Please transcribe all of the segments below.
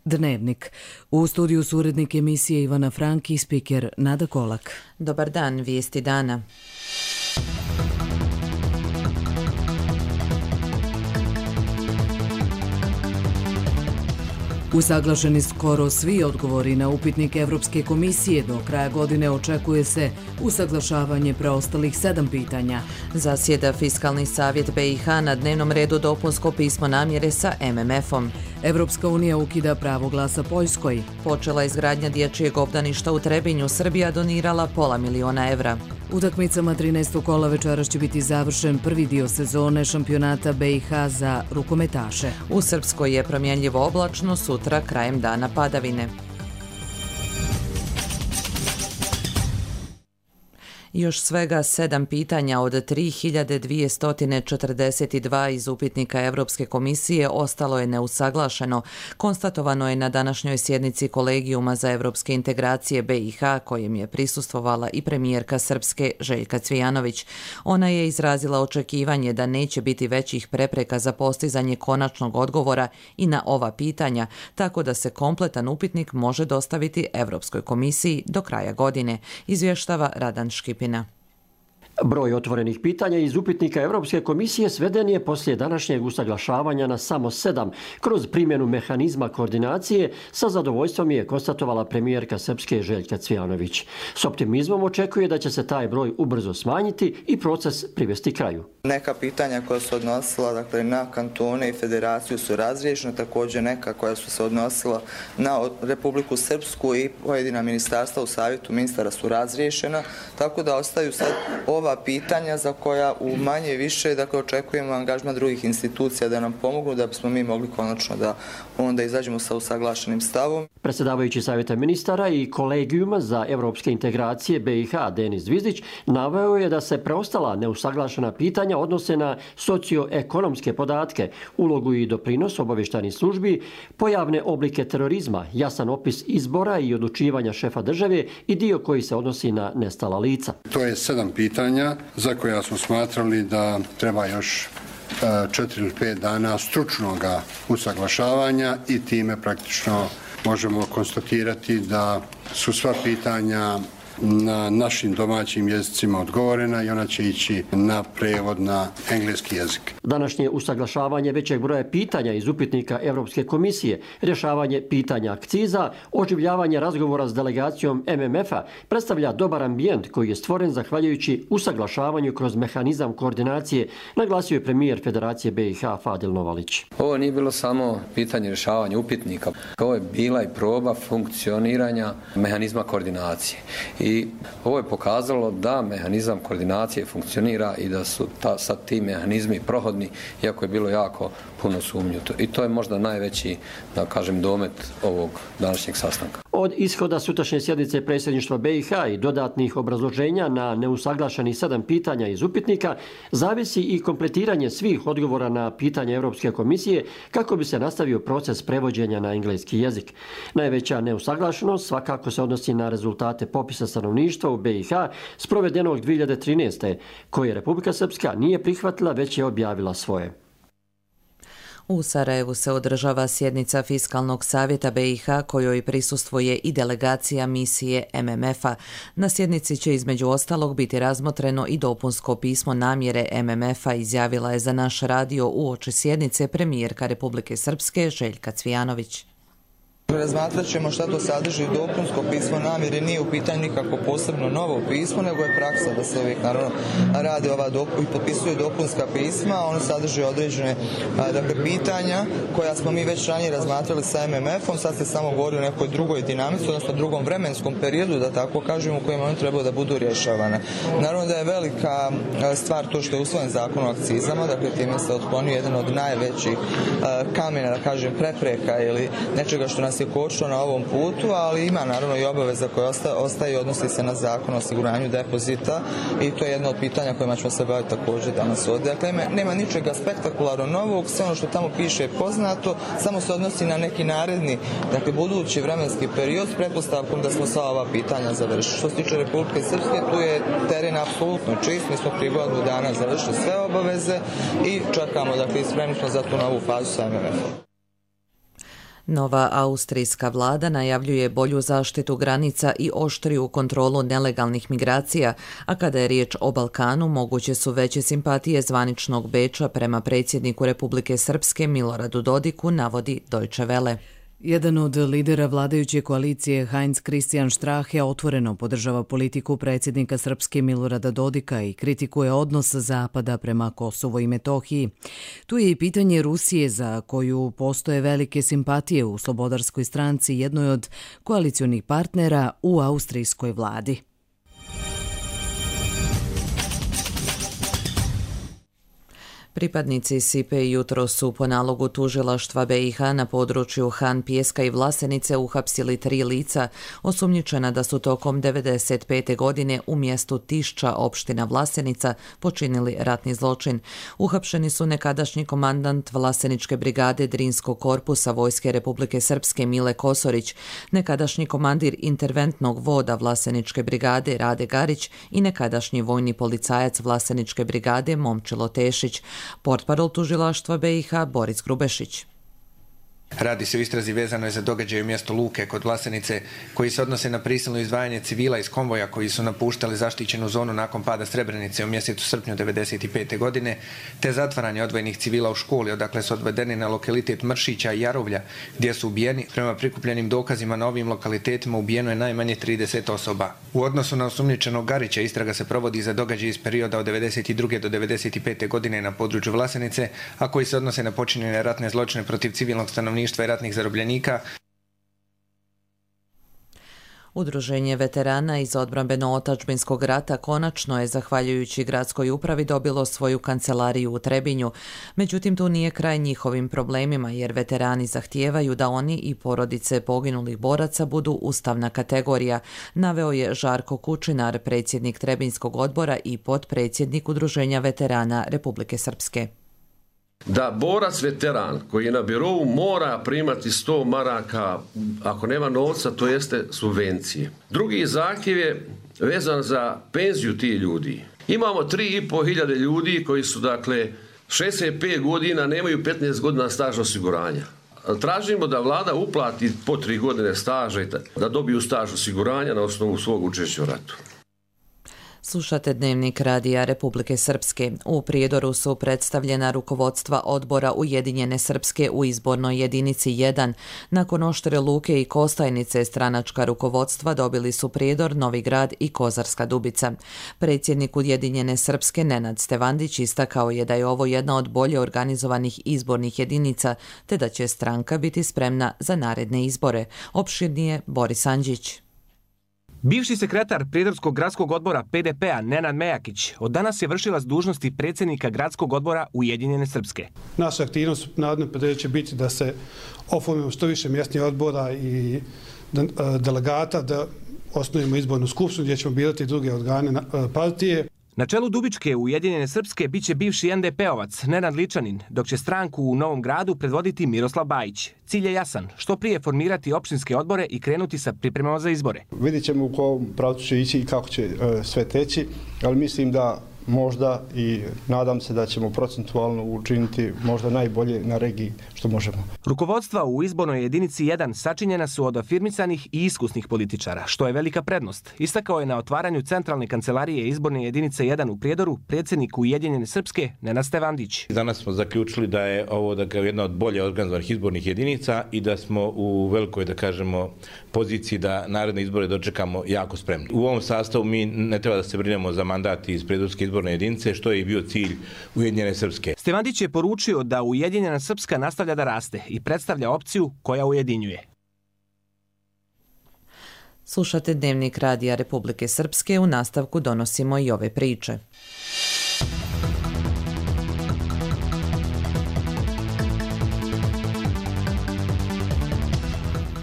Dnevnik. U studiju su urednik emisije Ivana Franki i spiker Nada Kolak. Dobar dan, vijesti dana. Usaglašeni skoro svi odgovori na upitnik Evropske komisije. Do kraja godine očekuje se usaglašavanje preostalih 7 pitanja. Zasjeda Fiskalni savjet BiH, na dnevnom redu dopunsko pismo namjere sa MMF-om. Evropska unija ukida pravo glasa Poljskoj. Počela izgradnja dječjeg obdaništa u Trebinju, Srbija donirala $500.000 evra. Utakmicama 13. kola večeras će biti završen prvi dio sezone šampionata BiH za rukometaše. U Srpskoj je promjenljivo oblačno, sutra krajem dana padavine. Još svega 7 pitanja od 3242 iz upitnika Evropske komisije ostalo je neusaglašeno. Konstatovano je na današnjoj sjednici Kolegijuma za evropske integracije BiH, kojem je prisustvovala i premijerka Srpske Željka Cvijanović. Ona je izrazila očekivanje da neće biti većih prepreka za postizanje konačnog odgovora i na ova pitanja, tako da se kompletan upitnik može dostaviti Evropskoj komisiji do kraja godine, izvještava Radan Škipina. Broj otvorenih pitanja iz upitnika Europske komisije sveden je poslije današnjeg usaglašavanja na samo 7 kroz primjenu mehanizma koordinacije. Sa zadovoljstvom je konstatovala premijerka Srpske Željka Cvijanović. S optimizmom očekuje da će se taj broj ubrzo smanjiti i proces privesti kraju. Neka pitanja koja su odnosila na kantone i federaciju su razriješena, također neka koja su se odnosila na Republiku Srpsku i pojedina ministarstva u savjetu ministara su razriješena, tako da ostaju sad ova pitanja za koja u manje više očekujemo angažman drugih institucija da nam pomognu da bismo mi mogli konačno da onda izađemo sa usaglašenim stavom. Predsjedavajući savjeta ministara i Kolegijuma za evropske integracije BiH Denis Zvizdić naveo je da se preostala neusaglašena pitanja odnose na socioekonomske podatke, ulogu i doprinos obavještajnih službi, pojavne oblike terorizma, jasan opis izbora i odlučivanja šefa države i dio koji se odnosi na nestala lica. To je 7 pitanja za koja smo smatrali da treba još 4 ili 5 dana stručnog usaglašavanja i time praktično možemo konstatirati da su sva pitanja na našim domaćim jezicima odgovorena i ona će ići na prevod na engleski jezik. Današnje usaglašavanje većeg broja pitanja iz upitnika Evropske komisije, rješavanje pitanja akciza, oživljavanje razgovora s delegacijom MMF-a predstavlja dobar ambijent koji je stvoren zahvaljujući usaglašavanju kroz mehanizam koordinacije, naglasio je premijer Federacije BiH Fadil Novalić. Ovo nije bilo samo pitanje rješavanja upitnika, ovo je bila i proba funkcioniranja mehanizma koordinacije. I ovo je pokazalo da mehanizam koordinacije funkcionira i da su sad ti mehanizmi prohodni, iako je bilo jako puno sumnju. I to je možda najveći, da kažem, domet ovog današnjeg sastanka. Od ishoda sutrašnje sjednice predsjedništva BiH i dodatnih obrazloženja na neusaglašenih 7 pitanja iz upitnika zavisi i kompletiranje svih odgovora na pitanja Europske komisije kako bi se nastavio proces prevođenja na engleski jezik. Najveća neusaglašenost svakako se odnosi na rezultate popisa stanovništva u BiH sprovedenog 2013. koje Republika Srpska nije prihvatila, već je objavila svoje. U Sarajevu se održava sjednica Fiskalnog savjeta BiH kojoj prisustvuje i delegacija misije MMF-a. Na sjednici će između ostalog biti razmotreno i dopunsko pismo namjere MMF-a, izjavila je za naš radio uoči sjednice premijerka Republike Srpske Željka Cvijanović. Razmatrat ćemo šta to sadrži dopunsko pismo namjere, nije u pitanju nikako posebno novo pismo, nego je praksa da se uvijek naravno rade i potpisuju dopunska pisma. Ono sadrži određene pitanja koja smo mi već ranije razmatrali sa MMF-om, sad se samo govori o nekoj drugoj dinamici, odnosno drugom vremenskom periodu, da tako kažem, u kojem oni trebaju da budu rješavane. Naravno da je velika stvar to što je usvojen zakon o akcizama, dakle time se otklonio jedan od najvećih kamena, da kažem, prepreka ili nečega što nas je kočilo na ovom putu, ali ima naravno i obaveza koja ostaje i odnosi se na zakon o osiguranju depozita i to je jedno od pitanja kojima ćemo se baviti također danas ovdje. Dakle, nema ničega spektakularno novog, sve ono što tamo piše je poznato, samo se odnosi na neki naredni, dakle budući vremenski period s pretpostavkom da smo sva ova pitanja završili. Što se tiče Republike Srpske, tu je teren apsolutno čist, mi smo prije godinu dana završili sve obaveze i čekamo, dakle, spremni smo za tu novu fazu sa MMF-om. Nova austrijska vlada najavljuje bolju zaštitu granica i oštriju kontrolu nelegalnih migracija, a kada je riječ o Balkanu, moguće su veće simpatije zvaničnog Beča prema predsjedniku Republike Srpske Miloradu Dodiku, navodi Deutsche Welle. Jedan od lidera vladajuće koalicije, Heinz Christian Strache, otvoreno podržava politiku predsjednika Srpske Milorada Dodika i kritikuje odnos Zapada prema Kosovu i Metohiji. Tu je i pitanje Rusije, za koju postoje velike simpatije u Slobodarskoj stranci, jednoj od koalicionih partnera u austrijskoj vladi. Pripadnici Sipe jutro su po nalogu tužilaštva BiH na području Han Pijeska i Vlasenice uhapsili 3 lica osumnjičena da su tokom 1995. godine u mjestu Tišća, opština Vlasenica, počinili ratni zločin. Uhapšeni su nekadašnji komandant Vlaseničke brigade Drinskog korpusa Vojske Republike Srpske Mile Kosorić, nekadašnji komandir interventnog voda Vlaseničke brigade Rade Garić i nekadašnji vojni policajac Vlaseničke brigade Momčilo Tešić. Portparol tužilaštva BiH Boris Grubešić. Radi se o istrazi vezanoj za događaj u mjestu Luke kod Vlasenice, koji se odnose na prisilno izdvajanje civila iz konvoja koji su napuštali zaštićenu zonu nakon pada Srebrenice u mjesecu srpnju 1995. godine, te zatvaranje odvojenih civila u školi, odakle su odvedeni na lokalitet Mršića i Jarovlja, gdje su ubijeni. Prema prikupljenim dokazima na ovim lokalitetima ubijeno je najmanje 30 osoba. U odnosu na osumnjičenog Garića istraga se provodi za događaj iz perioda od 1992. do 1995. godine na području Vlasenice, a koji se odnose na počinjene ratne zločine protiv civilnog stanovništva i ratnih zarobljenika. Udruženje veterana iz odbrambeno-otadžbinskog rata konačno je, zahvaljujući gradskoj upravi, dobilo svoju kancelariju u Trebinju. Međutim, tu nije kraj njihovim problemima, jer veterani zahtijevaju da oni i porodice poginulih boraca budu ustavna kategorija, naveo je Žarko Kučinar, predsjednik Trebinjskog odbora i potpredsjednik Udruženja veterana Republike Srpske. Da borac veteran koji je na birovu mora primati 100 maraka, ako nema novca, to jeste subvencije. Drugi zahtjev je vezan za penziju tih ljudi. Imamo 3.500 ljudi koji su, 65 godina, nemaju 15 godina staža osiguranja. Tražimo da vlada uplati po 3 godine staža i da dobiju staž osiguranja na osnovu svog učešća u ratu. Slušate Dnevnik Radija Republike Srpske. U Prijedoru su predstavljena rukovodstva odbora Ujedinjene Srpske u izbornoj jedinici 1. Nakon Oštre Luke i Kostajnice stranačka rukovodstva dobili su Prijedor, Novi Grad i Kozarska Dubica. Predsjednik Ujedinjene Srpske Nenad Stevandić istakao je da je ovo jedna od bolje organizovanih izbornih jedinica, te da će stranka biti spremna za naredne izbore. Opširnije Boris Andžić. Bivši sekretar Prijedorskog gradskog odbora PDP-a Nenad Mejakić od danas je vršilac dužnosti predsjednika gradskog odbora Ujedinjene Srpske. Naša aktivnost u narednom periodu će biti da se oformimo što više mjesnih odbora i delegata, da osnovimo izbornu skupštinu gdje ćemo birati druge organe partije. Na čelu Dubičke Ujedinjene Srpske biće bivši NDP-ovac Nenad Ličanin, dok će stranku u Novom Gradu predvoditi Miroslav Bajić. Cilj je jasan, što prije formirati opštinske odbore i krenuti sa pripremama za izbore. Vidjet ćemo u kom pravcu će ići i kako će sve teći, ali mislim da možda i nadam se da ćemo procentualno učiniti možda najbolje na regiji što možemo. Rukovodstva u izbornoj jedinici 1 sačinjena su od afirmisanih i iskusnih političara, što je velika prednost. Istakao je na otvaranju centralne kancelarije izborne jedinice 1 u Prijedoru predsjednik Ujedinjene Srpske Nenad Stevandić. Danas smo zaključili da je ovo jedna od bolje organizovanih izbornih jedinica i da smo u velikoj, poziciji da naredne izbore dočekamo jako spremni. U ovom sastavu mi ne treba da se brinemo za mandat iz Prijedorske izborne jedinice, što je i bio cilj Ujedinjene Srpske. Stevandić je poručio da Ujedinjena Srpska nastavlja da raste i predstavlja opciju koja ujedinjuje. Slušate Dnevnik Radija Republike Srpske, u nastavku donosimo i ove priče.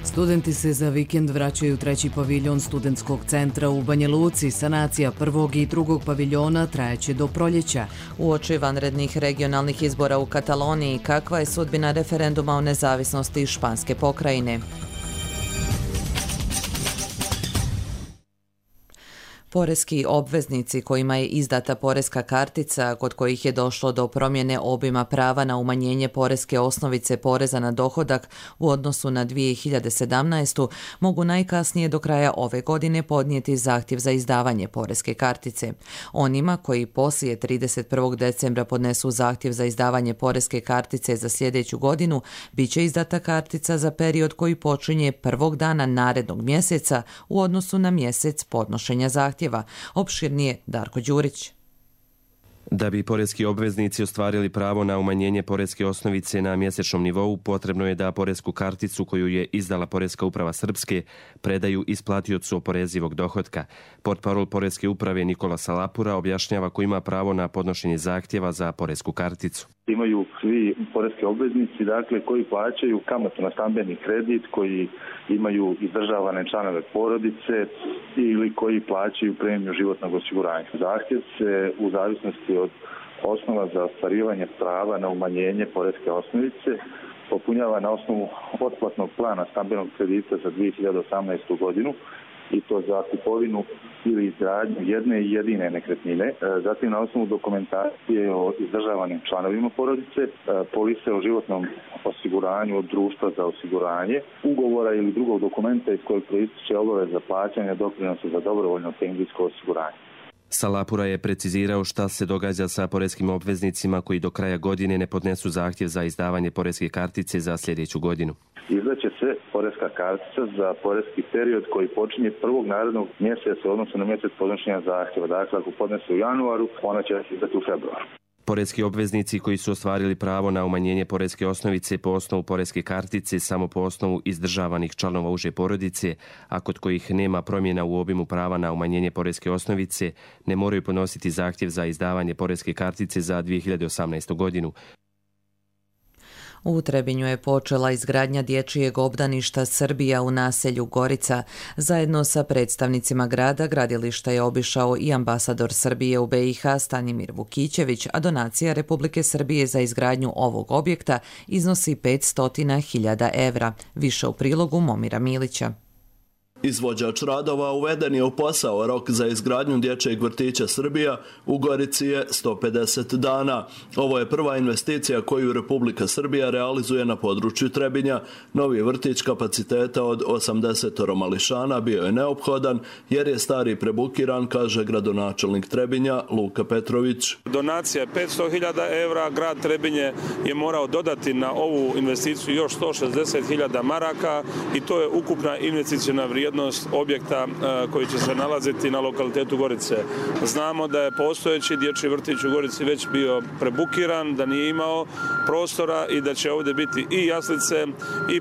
Studenti se za vikend vraćaju u 3. paviljon studentskog centra u Banja Luci. Sanacija 1. i 2. paviljona trajeće do proljeća. Uoči vanrednih regionalnih izbora u Kataloniji, kakva je sudbina referenduma o nezavisnosti Španske pokrajine? Poreski obveznici kojima je izdata poreska kartica, kod kojih je došlo do promjene obima prava na umanjenje poreske osnovice poreza na dohodak u odnosu na 2017. mogu najkasnije do kraja ove godine podnijeti zahtjev za izdavanje poreske kartice. Onima koji poslije 31. decembra podnesu zahtjev za izdavanje poreske kartice za sljedeću godinu, bit će izdata kartica za period koji počinje prvog dana narednog mjeseca u odnosu na mjesec podnošenja zahtjeva. Opširnije Darko Đurić. Da bi poreski obveznici ostvarili pravo na umanjenje poreske osnovice na mjesečnom nivou, potrebno je da poresku karticu koju je izdala Poreska uprava Srpske predaju isplatiocu oporezivog dohotka. Portparol Poreske uprave Nikola Salapura objašnjava ko ima pravo na podnošenje zahtjeva za poresku karticu. Imaju svi poreski obveznici, dakle, koji plaćaju kamatu na stambeni kredit, koji imaju izdržavane članove porodice ili koji plaćaju premiju životnog osiguranja. Zahtjev se u zavisnosti od osnova za ostvarivanje prava na umanjenje poreske osnovice popunjava na osnovu otplatnog plana stambenog kredita za 2018. godinu, i to za kupovinu ili izgradnju jedne i jedine nekretnine, zatim na osnovu dokumentacije o izdržavanim članovima porodice, polise o životnom osiguranju od društva za osiguranje, ugovora ili drugog dokumenta iz kojeg proističe obaveza plaćanja doprinosa za dobrovoljno penzijsko osiguranje. Salapura je precizirao šta se događa sa poreskim obveznicima koji do kraja godine ne podnesu zahtjev za izdavanje poreske kartice za sljedeću godinu. Izdaće se poreska kartica za poreski period koji počinje prvog narednog mjeseca u odnosu na mjesec podnošenja zahtjeva. Dakle, ako podnese u januaru, ona će se izdati u februaru. Poreski obveznici koji su ostvarili pravo na umanjenje poreske osnovice po osnovu poreske kartice samo po osnovu izdržavanih članova uže porodice, a kod kojih nema promjena u obimu prava na umanjenje poreske osnovice, ne moraju podnositi zahtjev za izdavanje poreske kartice za 2018. godinu. U Trebinju je počela izgradnja dječjeg obdaništa Srbija u naselju Gorica. Zajedno sa predstavnicima grada gradilišta je obišao i ambasador Srbije u BiH Stanimir Vukićević, a donacija Republike Srbije za izgradnju ovog objekta iznosi 500.000 evra. Više u prilogu Momira Milića. Izvođač radova uveden je u posao. Rok za izgradnju dječjeg vrtića Srbija u Gorici je 150 dana. Ovo je prva investicija koju Republika Srbija realizuje na području Trebinja. Novi vrtić kapaciteta od 80 mališana bio je neophodan jer je stari prebukiran, kaže gradonačelnik Trebinja Luka Petrović. Donacija je 500.000 evra, grad Trebinje je morao dodati na ovu investiciju još 160.000 maraka i to je ukupna investicijna vrijednost objekta koji će se nalaziti na lokalitetu Gorice. Znamo da je postojeći dječji vrtić u Gorici već bio prebukiran, da nije imao prostora i da će ovdje biti i jaslice i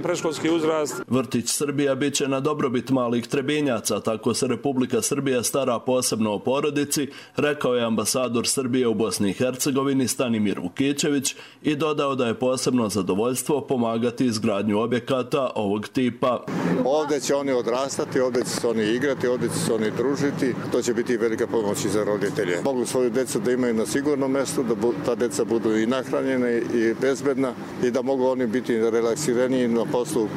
predškolski uzrast. Vrtić Srbija bit će na dobrobit malih Trebinjaca, tako se Republika Srbija stara posebno o porodici, rekao je ambasador Srbije u Bosni i Hercegovini Stanimir Vukićević i dodao da je posebno zadovoljstvo pomagati izgradnju objekata ovog tipa. Ovdje će oni odrastati, ovdje će se oni igrati, ovdje će se oni družiti. To će biti velika pomoć i za roditelje. Mogu svoju djecu da imaju na sigurnom mjestu, da ta djeca budu i nahranjene i bezbedna i da mogu oni biti relaksiraniji na poslu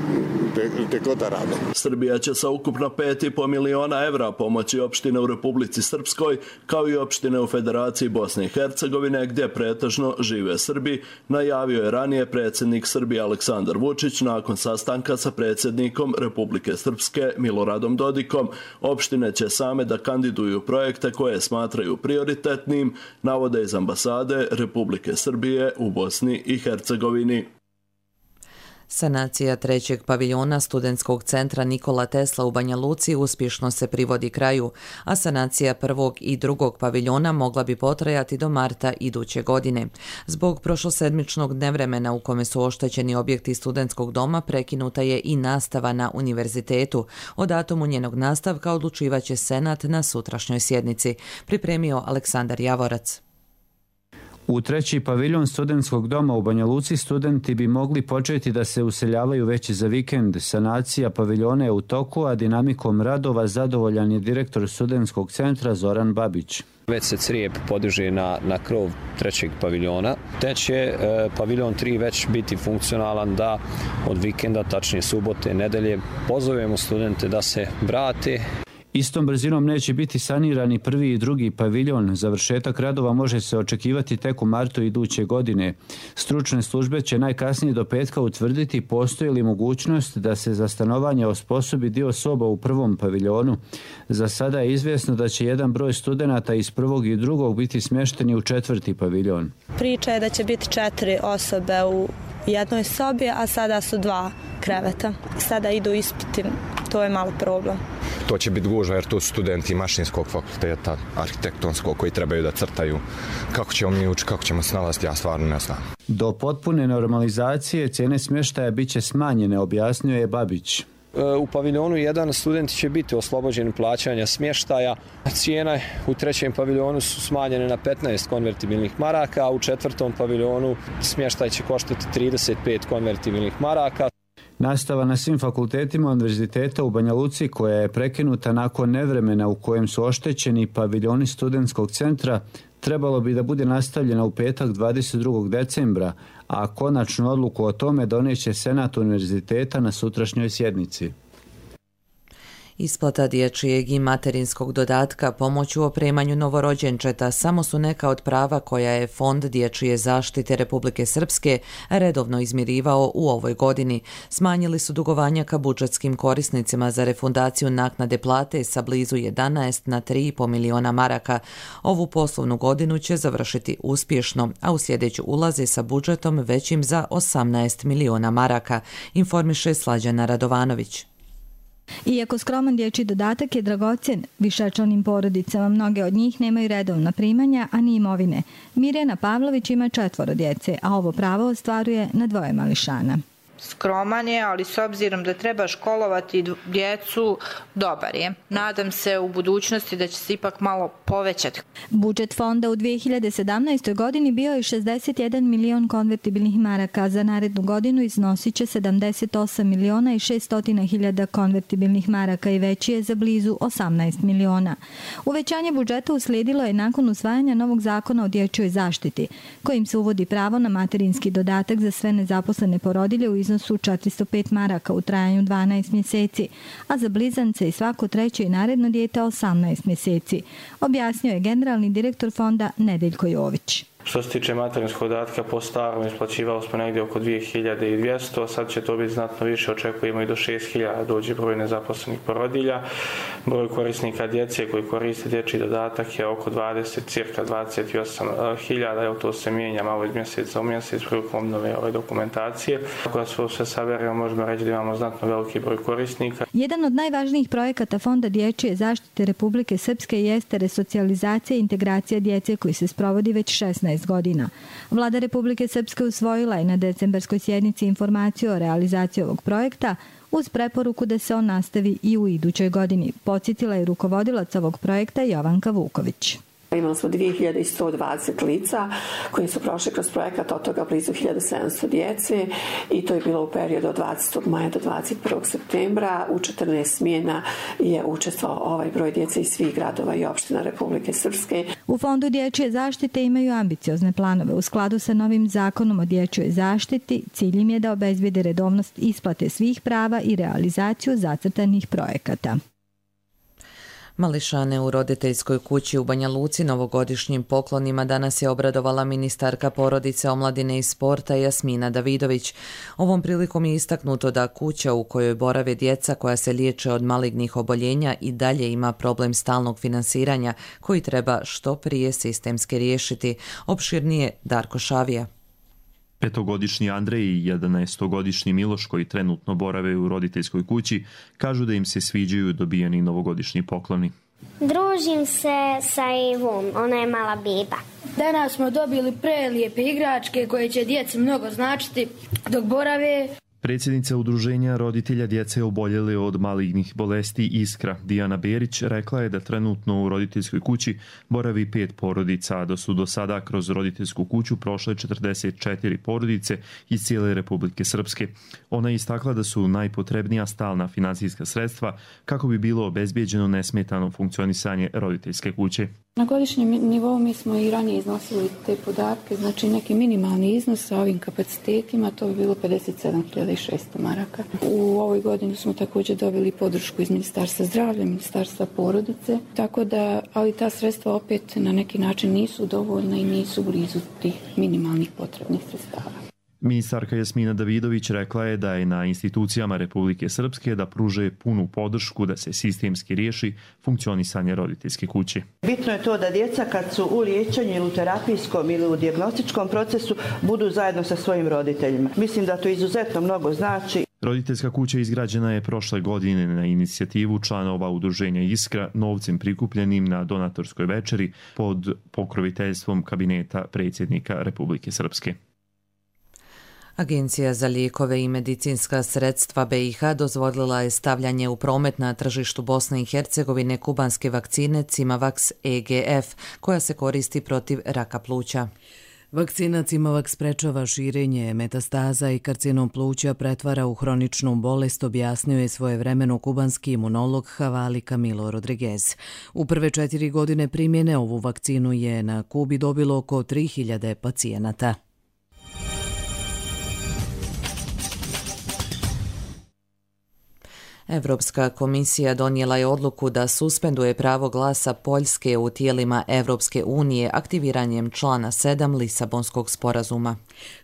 gdje god da rade. Srbija će sa ukupno 5,5 miliona evra pomoći opštine u Republici Srpskoj, kao i opštine u Federaciji Bosne i Hercegovine, gdje pretežno žive Srbi, najavio je ranije predsjednik Srbije Aleksandar Vučić nakon sastanka sa predsjednikom Republike Srpske Miloradom Dodikom. Opštine će same da kandiduju projekte koje smatraju prioritetnim, navode iz ambasade Republike Srbije u Bosni i Hercegovini. Sanacija trećeg paviljona studentskog centra Nikola Tesla u Banja Luci uspješno se privodi kraju, a sanacija prvog i drugog paviljona mogla bi potrajati do marta iduće godine. Zbog prošlosedmičnog nevremena u kome su oštećeni objekti studentskog doma prekinuta je i nastava na univerzitetu. O datumu njenog nastavka odlučivaće Senat na sutrašnjoj sjednici, pripremio Aleksandar Javorac. U treći paviljon studentskog doma u Banja Luci studenti bi mogli početi da se useljavaju već za vikend. Sanacija paviljona je u toku, a dinamikom radova zadovoljan je direktor studentskog centra Zoran Babić. Već se crijep podiže na krov trećeg paviljona, te će paviljon 3 već biti funkcionalan da od vikenda, tačnije subote, nedelje, pozovemo studente da se vrate. Istom brzinom neće biti sanirani prvi i drugi paviljon. Završetak radova može se očekivati tek u martu iduće godine. Stručne službe će najkasnije do petka utvrditi postoji li mogućnost da se za stanovanje osposobi dio soba u prvom paviljonu. Za sada je izvjesno da će jedan broj studenata iz prvog i drugog biti smješteni u četvrti paviljon. Priča je da će biti 4 osobe u jednoj sobi, a sada su 2 kreveta. Sada idu ispiti, to je malo problem. To će biti gužva jer tu su studenti mašinskog fakulteta, arhitektonskog, koji trebaju da crtaju. Kako ćemo mi učiti, kako ćemo snalaziti, ja stvarno ne znam. Do potpune normalizacije cijene smještaja bit će smanjene, objasnio je Babić. U paviljonu 1 studenti će biti oslobođeni plaćanja smještaja. Cijene u 3. paviljonu su smanjene na 15 konvertibilnih maraka, a u 4. paviljonu smještaj će koštati 35 konvertibilnih maraka. Nastava na svim fakultetima Univerziteta u Banja Luci, koja je prekinuta nakon nevremena u kojem su oštećeni paviljoni studentskog centra, trebalo bi da bude nastavljena u petak 22. decembra, a konačnu odluku o tome doneće Senat Univerziteta na sutrašnjoj sjednici. Isplata dječjeg i materinskog dodatka, pomoć u opremanju novorođenčeta samo su neka od prava koja je Fond dječje zaštite Republike Srpske redovno izmirivao u ovoj godini. Smanjili su dugovanja ka budžetskim korisnicima za refundaciju naknade plate sa blizu 11 na 3,5 miliona maraka. Ovu poslovnu godinu će završiti uspješno, a u sljedeću ulaze sa budžetom većim za 18 miliona maraka, informiše Slađana Radovanović. Iako skroman dječji dodatak je dragocjen višečlanim porodicama, mnoge od njih nemaju redovna primanja, a ni imovine. Mirjana Pavlović ima 4 djece, a ovo pravo ostvaruje na 2 mališana. Skroman je, ali s obzirom da treba školovati djecu, dobar je. Nadam se u budućnosti da će se ipak malo povećati. Budžet fonda u 2017. godini bio je 61 milion konvertibilnih maraka, za narednu godinu iznosit će 78 miliona i 600 hiljada konvertibilnih maraka i veći je za blizu 18 miliona. Uvećanje budžeta uslijedilo je nakon usvajanja novog zakona o dječjoj zaštiti, kojim se uvodi pravo na materinski dodatak za sve nezaposlene porodilje u iznosu 405 maraka u trajanju 12 mjeseci, a za blizance i svako treće i naredno dijete 18 mjeseci, objasnio je generalni direktor fonda Nedeljko Jović. Što se tiče materinskog dodatka, po starom isplaćivalo smo negdje oko 2200, sad će to biti znatno više, očekujemo i do 6000 dođe broj nezaposlenih porodilja. Broj korisnika djece koji koriste dječji dodatak je oko cirka 28.000, evo to se mijenja malo iz mjeseca u mjesec prilikom obnove ove dokumentacije. Ako sve saberemo, možemo reći da imamo znatno veliki broj korisnika. Jedan od najvažnijih projekata Fonda dječje zaštite Republike Srpske jeste resocijalizacija i integracija djece koji se sprovodi već 16 godina. Vlada Republike Srpske usvojila je na decembarskoj sjednici informaciju o realizaciji ovog projekta uz preporuku da se on nastavi i u idućoj godini, podsjetila je rukovodilac ovog projekta Jovanka Vuković. Imali smo 2120 lica koji su prošli kroz projekat, od toga blizu 1700 djece i to je bilo u periodu od 20. maja do 21. septembra. U 14 smjena je učestvovao ovaj broj djece iz svih gradova i opština Republike Srpske. U Fondu dječje zaštite imaju ambiciozne planove. U skladu sa novim zakonom o dječjoj zaštiti, cilj im je da obezbede redovnost isplate svih prava i realizaciju zacrtanih projekata. Mališane u roditeljskoj kući u Banja Luci novogodišnjim poklonima danas je obradovala ministarka porodice, omladine i sporta Jasmina Davidović. Ovom prilikom je istaknuto da kuća u kojoj borave djeca koja se liječe od malignih oboljenja i dalje ima problem stalnog finansiranja koji treba što prije sistemski riješiti. Opširnije Darko Šavija. 5-godišnji Andrej i 11-godišnji Miloš, koji trenutno borave u roditeljskoj kući, kažu da im se sviđaju dobijeni novogodišnji pokloni. Družim se sa Ivom, ona je mala biba. Danas smo dobili prelijepe igračke koje će djeci mnogo značiti dok borave. Predsjednica udruženja roditelja djece oboljele od malignih bolesti Iskra, Dijana Berić, rekla je da trenutno u roditeljskoj kući boravi 5 porodica, a da su do sada kroz roditeljsku kuću prošle 44 porodice iz cijele Republike Srpske. Ona je istakla da su najpotrebnija stalna finansijska sredstva kako bi bilo obezbijeđeno nesmetano funkcionisanje roditeljske kuće. Na godišnjem nivou mi smo i ranije iznosili te podatke, znači neki minimalni iznos sa ovim kapacitetima, to bi bilo 57.600 maraka. U ovoj godini smo također dobili podršku iz Ministarstva zdravlja, Ministarstva porodice, tako da, ali ta sredstva opet na neki način nisu dovoljna i nisu blizu tih minimalnih potrebnih sredstava. Ministarka Jasmina Davidović rekla je da je na institucijama Republike Srpske da pruže punu podršku da se sistemski riješi funkcionisanje roditeljske kuće. Bitno je to da djeca kad su u liječenju ili u terapijskom ili u dijagnostičkom procesu budu zajedno sa svojim roditeljima. Mislim da to izuzetno mnogo znači. Roditeljska kuća izgrađena je prošle godine na inicijativu članova udruženja Iskra novcem prikupljenim na donatorskoj večeri pod pokroviteljstvom kabineta predsjednika Republike Srpske. Agencija za lijekove i medicinska sredstva BiH dozvolila je stavljanje u promet na tržištu Bosne i Hercegovine kubanske vakcine Cimavax EGF, koja se koristi protiv raka pluća. Vakcina Cimavax sprečava širenje metastaza i karcinom pluća pretvara u hroničnu bolest, objasnio je svojevremeno kubanski imunolog Havali Camilo Rodriguez. U prve 4 godine primjene ovu vakcinu je na Kubi dobilo oko 3000 pacijenata. Evropska komisija donijela je odluku da suspenduje pravo glasa Poljske u tijelima Evropske unije aktiviranjem člana 7 Lisabonskog sporazuma.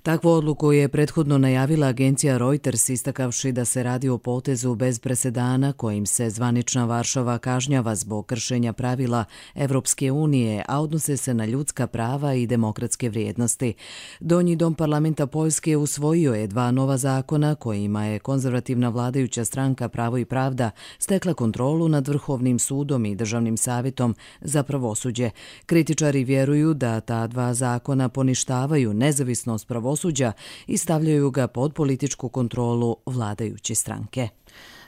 Takvu odluku je prethodno najavila agencija Reuters, istakavši da se radi o potezu bez presedana kojim se zvanična Varšava kažnjava zbog kršenja pravila Evropske unije, a odnose se na ljudska prava i demokratske vrijednosti. Donji dom parlamenta Poljske usvojio je 2 nova zakona kojima je konzervativna vladajuća stranka Pravo i pravda stekla kontrolu nad Vrhovnim sudom i Državnim savjetom za pravosuđe. Kritičari vjeruju da ta 2 zakona poništavaju nezavisnost pravosuđa i stavljaju ga pod političku kontrolu vladajuće stranke.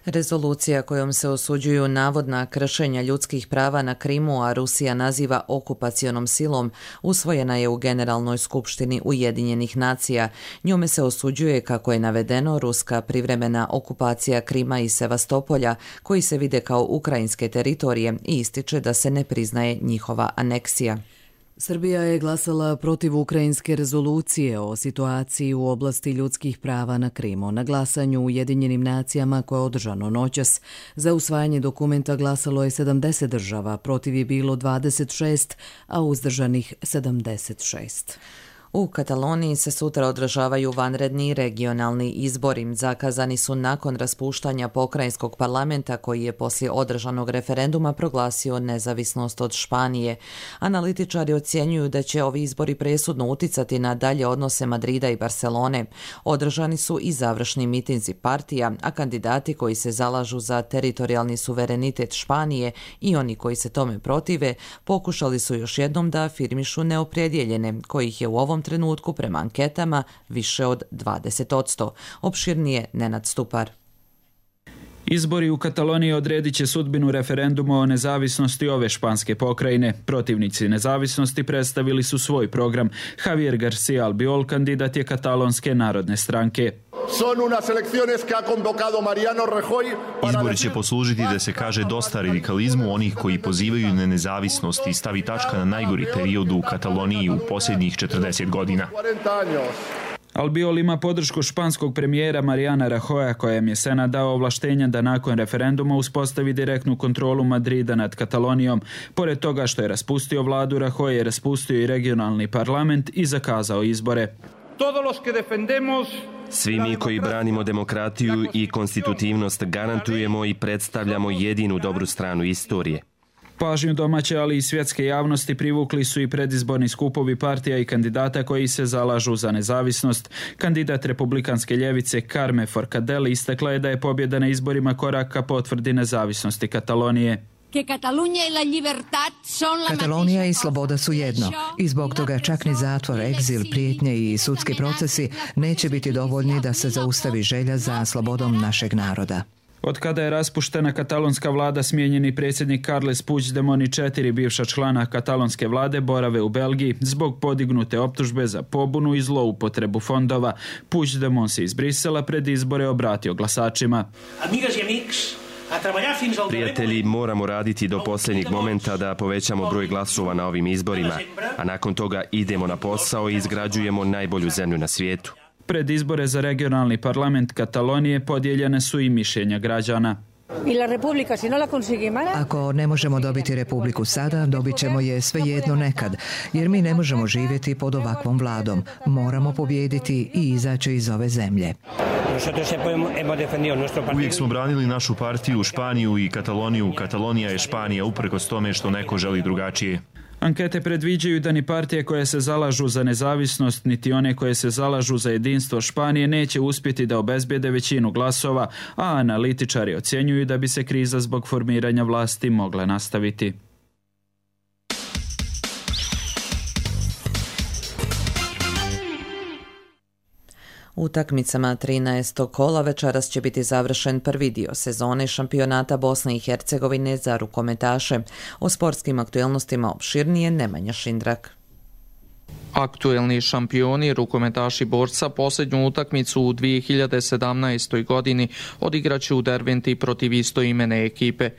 Rezolucija kojom se osuđuju navodna kršenja ljudskih prava na Krimu, a Rusija naziva okupacionom silom, usvojena je u Generalnoj skupštini Ujedinjenih nacija. Njome se osuđuje, kako je navedeno, ruska privremena okupacija Krima i Sevastopolja, koji se vide kao ukrajinske teritorije, i ističe da se ne priznaje njihova aneksija. Srbija je glasala protiv ukrajinske rezolucije o situaciji u oblasti ljudskih prava na Krimu. Na glasanju u Ujedinjenim nacijama koje je održano noćas za usvajanje dokumenta glasalo je 70 država, protiv je bilo 26, a uzdržanih 76. U Kataloniji se sutra održavaju vanredni regionalni izbori. Zakazani su nakon raspuštanja pokrajinskog parlamenta koji je poslije održanog referenduma proglasio nezavisnost od Španije. Analitičari ocjenjuju da će ovi izbori presudno uticati na dalje odnose Madrida i Barcelone. Održani su i završni mitinzi partija, a kandidati koji se zalažu za teritorijalni suverenitet Španije i oni koji se tome protive pokušali su još jednom da afirmišu neopredjeljene, kojih je u ovom trenutku prema anketama više od 20%. Opširnije Nenad Stupar. Izbori u Kataloniji odredit će sudbinu referenduma o nezavisnosti ove španske pokrajine. Protivnici nezavisnosti predstavili su svoj program. Javier García Albiol kandidat je katalonske narodne stranke. Izbori će poslužiti da se kaže dosta radikalizmu onih koji pozivaju na nezavisnost i stavi tačka na najgori period u Kataloniji u posljednjih 40 godina. Albiol ima podršku španskog premijera Mariana Rajoya, kojem je Senat dao ovlaštenja da nakon referenduma uspostavi direktnu kontrolu Madrida nad Katalonijom. Pored toga što je raspustio vladu, Rajoy je raspustio i regionalni parlament i zakazao izbore. Svi mi koji branimo demokratiju i konstitutivnost garantujemo i predstavljamo jedinu dobru stranu istorije. Pažnju domaće, ali i svjetske javnosti privukli su i predizborni skupovi partija i kandidata koji se zalažu za nezavisnost. Kandidat republikanske ljevice Carme Forcadell istakla je da je pobjeda na izborima korak ka potvrdi nezavisnosti Katalonije. Katalonija i sloboda su jedno i zbog toga čak ni zatvor, egzil, prijetnje i sudski procesi neće biti dovoljni da se zaustavi želja za slobodom našeg naroda. Od kada je raspuštena katalonska vlada, smijenjeni predsjednik Carles Puigdemont i 4 bivša člana katalonske vlade borave u Belgiji zbog podignute optužbe za pobunu i zloupotrebu fondova. Puigdemont se iz Brisela pred izbore obratio glasačima. Prijatelji, moramo raditi do posljednjeg momenta da povećamo broj glasova na ovim izborima, a nakon toga idemo na posao i izgrađujemo najbolju zemlju na svijetu. Pred izbore za regionalni parlament Katalonije podijeljene su i mišljenja građana. Ako ne možemo dobiti republiku sada, dobit ćemo je svejedno nekad, jer mi ne možemo živjeti pod ovakvom vladom. Moramo pobijediti i izaći iz ove zemlje. Uvijek smo branili našu partiju, Španiju i Kataloniju. Katalonija je Španija, uprkos tome što neko želi drugačije. Ankete predviđaju da ni partije koje se zalažu za nezavisnost, niti one koje se zalažu za jedinstvo Španije neće uspjeti da obezbijede većinu glasova, a analitičari ocjenjuju da bi se kriza zbog formiranja vlasti mogla nastaviti. Utakmicama 13. kola večeras će biti završen prvi dio sezone šampionata Bosne i Hercegovine za rukometaše. O sportskim aktualnostima opširnije Nemanja Šindrak. Aktuelni šampioni, rukometaši Borca, posljednju utakmicu u 2017. godini odigraće u Derventi protiv istoimene ekipe.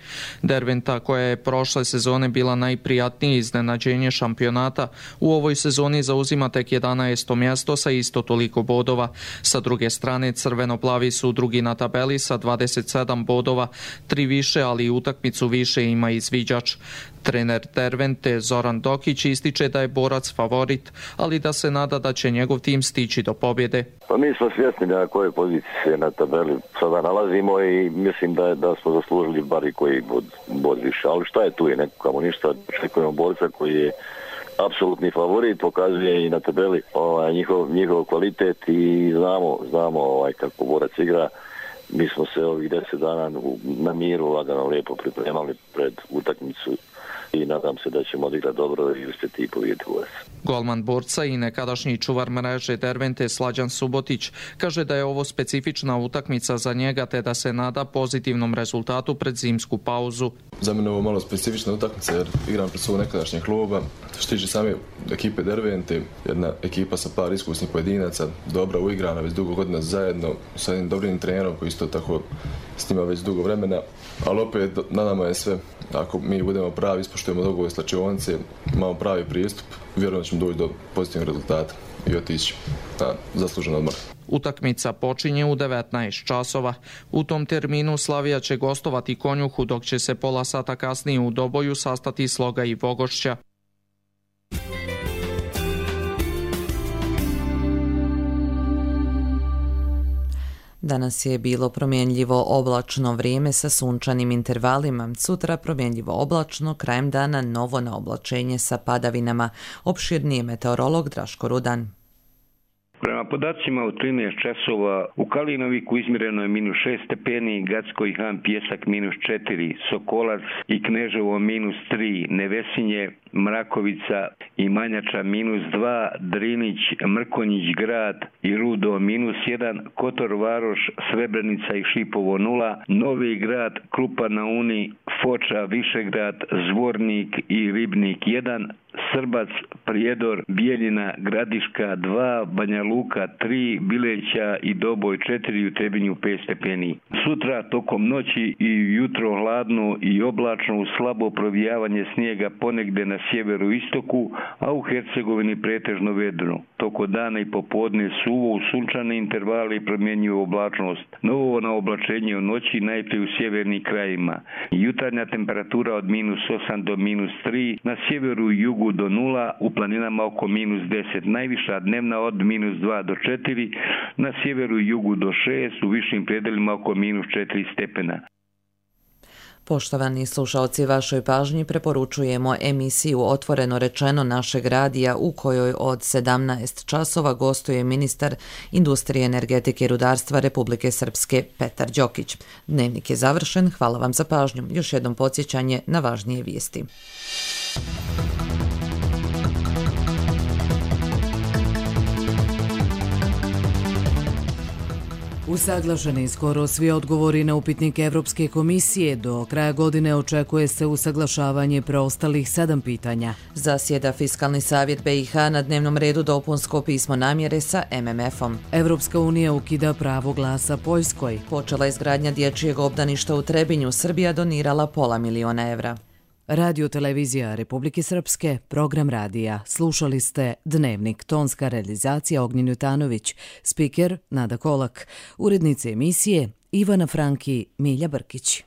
Derventa, koja je prošle sezone bila najprijatnije iznenađenje šampionata, u ovoj sezoni zauzima tek 11. mjesto sa isto toliko bodova. Sa druge strane, crveno-plavi su drugi na tabeli sa 27 bodova, 3 više, ali i utakmicu više ima izviđač. Trener Dervente Zoran Dokić ističe da je Borac favorit, ali da se nada da će njegov tim stići do pobjede. Pa mi smo svjesni na kojoj poziciji se na tabeli sada nalazimo i mislim da smo zaslužili bar i koji bod više. Ali šta je tu, je nekako ništa. Očekujemo Borca koji je apsolutni favorit, pokazuje i na tabeli njihov kvalitet i znamo kako Borac igra. Mi smo se ovih 10 dana na miru lagano lijepo pripremali pred utakmicu i nadam se da ćemo odigrati dobro i uspjeti i pobijediti Borac. Golman Borca i nekadašnji čuvar mreže Dervente Slađan Subotić kaže da je ovo specifična utakmica za njega te da se nada pozitivnom rezultatu pred zimsku pauzu. Za mene je ovo malo specifična utakmica jer igram pred svog nekadašnjeg kluba. Što tiče same ekipe Dervente, jedna ekipa sa par iskusnih pojedinaca, dobra uigrana, već dugo godina zajedno, sa jednim dobrim trenerom koji isto tako s njima već dugo vremena, ali opet na nama je sve. Ako mi budemo pravi, ispoštujemo dogovor slačionice, imamo pravi pristup, vjerujem da ćemo doći do pozitivnog rezultata i otići na zaslužen odmor. Utakmica počinje u 19 časova. U tom terminu Slavija će gostovati Konjuhu, dok će se pola sata kasnije u Doboju sastati Sloga i Vogošća. Danas je bilo promjenljivo oblačno vrijeme sa sunčanim intervalima. Sutra promjenljivo oblačno, krajem dana novo na oblačenje sa padavinama. Opširniji meteorolog Draško Rudan. Prema podacima u 13 časova u Kalinoviku izmjereno je -6 stepeni, Gacko i Han Pjesak -4, Sokolac i Kneževo -3, Nevesinje, Mrakovica i Manjača -2, Drinić, Mrkonjić grad i Rudo -1, Kotor Varoš, Srebrenica i Šipovo 0, Novi grad, Krupa na Uni, Foča, Višegrad, Zvornik i Ribnik 1, Srbac, Prijedor, Bijeljina, Gradiška 2, Banja Luka 3, Bileća i Doboj 4, u Trebinju 5 stepeni. Sutra tokom noći i jutro hladno i oblačno uz slabo provijavanje snijega ponegde na sjeveru istoku, a u Hercegovini pretežno vedro. Toko dana i popodne suvo u sunčane intervale i promjenjivu oblačnost. Novo na oblačenje u noći najprije u sjevernim krajima. Jutarnja temperatura od -8 do -3, na sjeveru i jugu do 0, u planinama oko -10, najviša dnevna od -2 do 4, na sjeveru i jugu do 6, u višim predelima oko -4 stepena. Poštovani slušalci, vašoj pažnji preporučujemo emisiju Otvoreno rečeno našeg radija u kojoj od 17 časova gostuje ministar industrije, energetike i rudarstva Republike Srpske Petar Đokić. Dnevnik je završen, hvala vam za pažnju. Još jednom podsjećanje na važnije vijesti. Usaglašeni skoro svi odgovori na upitnike Evropske komisije. Do kraja godine očekuje se usaglašavanje preostalih 7 pitanja. Zasjeda Fiskalni savjet BiH, na dnevnom redu dopunsko pismo namjere sa MMF-om. Evropska unija ukida pravo glasa Poljskoj. Počela izgradnja dječjeg obdaništa u Trebinju, Srbija donirala $500 000. Radio televizija Republike Srpske, program radija. Slušali ste Dnevnik, tonska realizacija Ognjen Jutanović, spiker Nada Kolak, urednice emisije Ivana Franki, Milja Brkić.